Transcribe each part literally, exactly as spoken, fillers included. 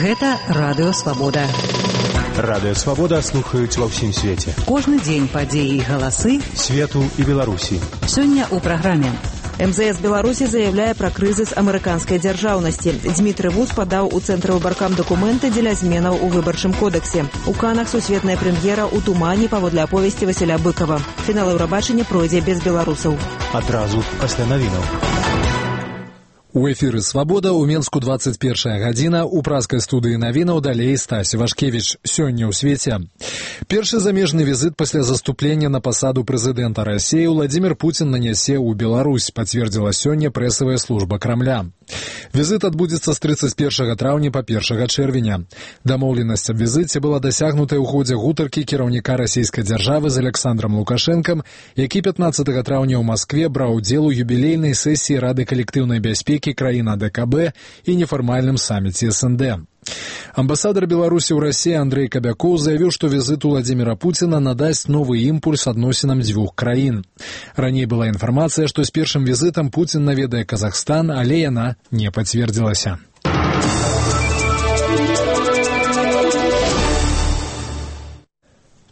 Гэта Радыё Свабода. Радыё Свабода слухаюць ва ўсім свеце. Кожны дзень падзеі і галасы свету і Беларусі. Сёння ў праграме. эм зэ эс Беларусі заявляе пра крызіс амерыканскай дзяржаўнасці. Дзмітрый Вуз падаў у цэнтры выбаркам дакументы дзеля зменаў у выбарчым кодексе. У Канах сусветная прэм'ера ў тумане паводле аповесці Васіля Быкова. Фінал Еўрабачання пройдзе без беларусаў. Адразу пасля навінаў. У эфіры «Свабода» у Менску двадцать першая гадзіна, у праскай студыі навінаў далей Стась Вашкевіч. Сёння ў свеце. Першы замежны візит пасля заступлення на пасаду прэзідэнта Расіі Владзімір Пуцін нанясе ў Беларусь, пацвердзіла сёння прэсавая служба Крамля. Візит адбудзецца з трыццаць першага траўня па першага чэрвеня. Дамоўленасць аб візіце была дасягнутая ў ходзе гутаркі кіраўніка расійскай дзяржавы з Александром Лукашэнкам, які пятнаццатага траўня ў Маскве браў удзел у юбілейнай сесіі Рады калектыўнай бяспекі краін а дэ ка бэ і нефармальным саміце эс эн дэ. Амбасадар Беларусі ў Расіі Андрэй Кабякоў заявіў, што візит Владзіміра Пуціна надасць новы імпульс адносінам дзвюх краін. Раней была інфармацыя, што з першым візітам Пуцін наведае Казахстан, але яна не пацвердзілася.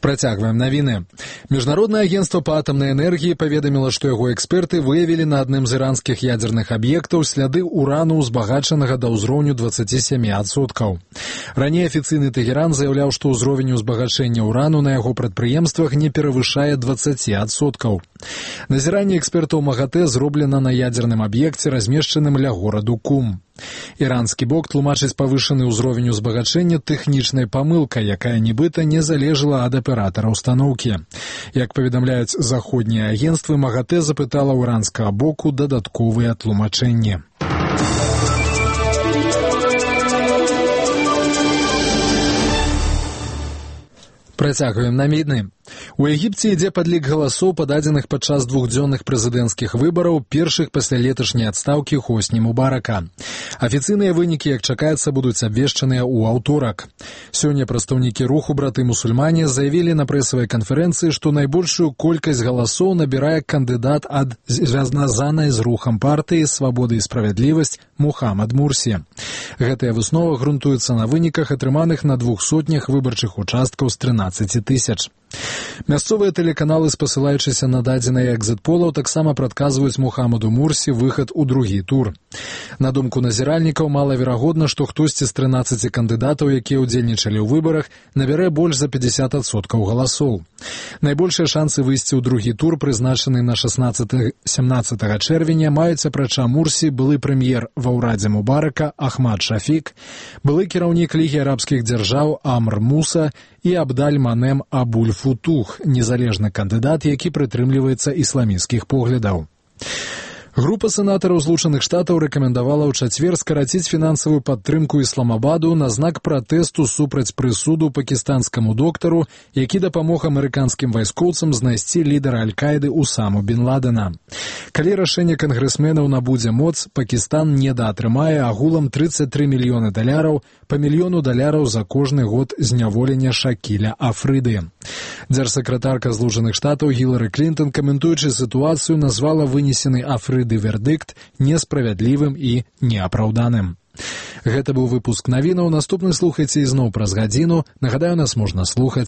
Працягваем навіны. Міжнароднае агенцтва па атамнай энергіі паведаміла, што яго эксперты выявілі на адным з іранскіх ядзерных аб'ектаў сляды урану, узбагачанага да ўзроўню дваццаць сем адсоткаў. Раней афіцыйны Тэгеран заяўляў, што ўзровень узбагачэння урану на яго прадпрыемствах не перавышае дваццаць адсоткаў. Назіранне экспертаў МАГАТЭ зроблена на ядзерным аб'екце, размешчаным ля гораду Кум. Іранскі бок тлумачыць павышаны ўзровень узбагачэння тэхнічнай памылкай, якая нібыта не залежала ад аператара ўстаноўкі. Як паведамляюць заходнія агенцтвы, МАГАТЭ запытала ў іранскага боку дадатковыя тлумачэнні. Працягваем навіны. У Егіпце ідзе падлік галасоў, пададзеных падчас двухдзённых прэзідэнцкіх выбараў, першых пасля леташняй адстаўкі Хосні Мубарака. Афіцыйныя вынікі, як чакаецца, будуць абвешчаныя ў аўторак. Сёння прадстаўнікі руху браты-мусульмане заявілі на прэсавай канферэнцыі, што найбольшую колькасць галасоў набірае кандыдат ад звязанай з рухам партыі «Свабода і справядлівасць» Мухаммад Мурсі. Гэтая выснова грунтуецца на выніках, атрыманых на двух сотнях выбарчых участкаў з трынаццаці тысяч. Мясцовыя тэлеканалы, спасылаючыся на дадзеныя экзіт-полаў, таксама прадказваюць Мухаммаду Мурсі выхад у другі тур. На думку назіральнікаў, малаверагодна, што хтосьці з трынаццаці кандыдатаў, якія ўдзельнічалі ў выбарах, набярэ больш за пятьдесят адсоткаў галасоў. Найбольшыя шансы выйсці ў другі тур, прызначаны на шаснаццатага-сямнаццатага чэрвеня, маюць апрача Мурсі былы прэм'ер ва ўрадзе Мубарака Ахмад Шафік, былы кіраўнік Лігі арабскіх дзяржаў Амр Муса і Абдаль Манем Абуль-Футух, незалежны кандыдат, які прытрымліваецца ісламісцкіх поглядаў. Група сенатараў Злучаных Штатаў рэкамендавала ў чацвер скараціць фінансавую падтрымку Ісламабаду на знак пратэсту супраць прысуду пакістанскаму доктару, які дапамог амерыканскім вайскоўцам знайсці лідара Аль-Каіды Усаму бін Ладена. Калі рашэнне кангрэсменаў набудзе моц, Пакістан недаатрымае агулам трыццаць тры мільёны даляраў, па мільёну даляраў за кожны год зняволення Шакіля Афрыды. Дзярсакратарка Злучаных Штатаў Гілары Клінтон, каментуючы сітуацыю, назвала вынесены Афрыды вердыкт несправядлівым і неапраўданым. Гэта быў выпуск навінаў. Наступны слухайце ізноў праз гадзіну. Нагадаю, нас можна слухаць